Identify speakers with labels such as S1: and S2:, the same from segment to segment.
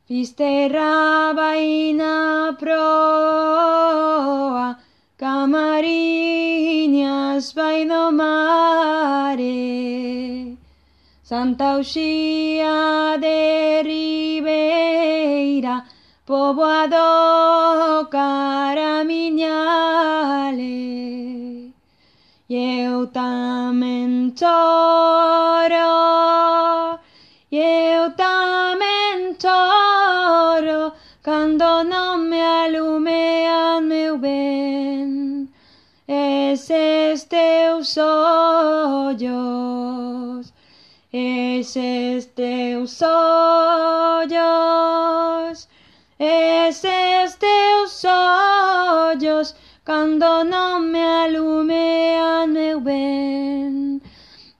S1: Fisterra baina proa, camariñas baino mare. Santa Uxía de Ribeira, poboado caramiñale. Eu tamén choro, eu tamén choro, cando non me alumean meu ben, eses teus ollos, eses teus ollos, eses teus ollos, cando non me alumean meu ben,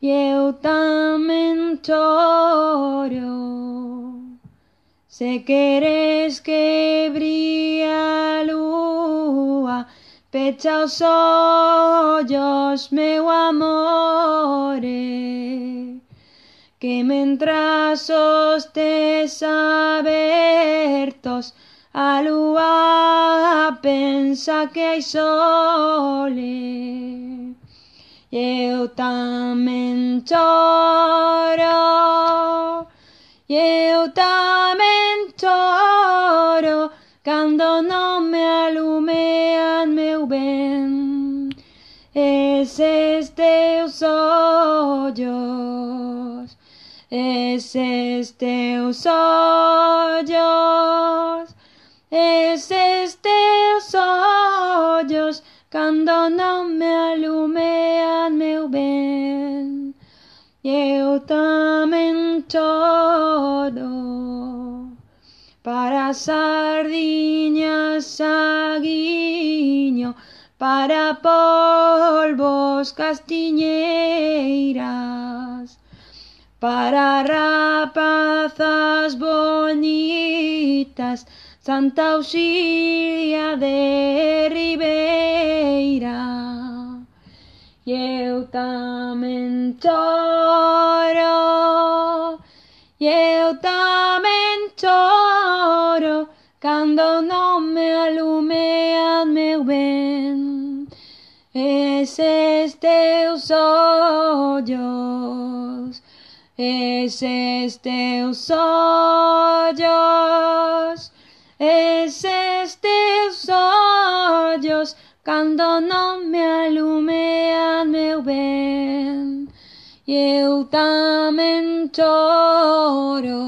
S1: eu tamén choro. Se queres que brille a lúa, pecha os ollos, meu amore, que mentras os tes abertos, a lúa pensa que hai sole. Eu tamén choro, eu tamén choro, cando non me alumean meu ben, eses teus ollos, eses teus ollos, eses teus ollos, cando non me alumean meu ben, eu tamén choro. Para sardiñas saguiño, para polvos castiñeiras, para rapazas bonitas, Santa Uxía de Ribeira. Eu tamén choro, eu tamén choro, cando non me alumean meu ben, eses teus ollos, eses teus ollos, eses teus ollos, cando non me alumean meu ben, eu tamén choro.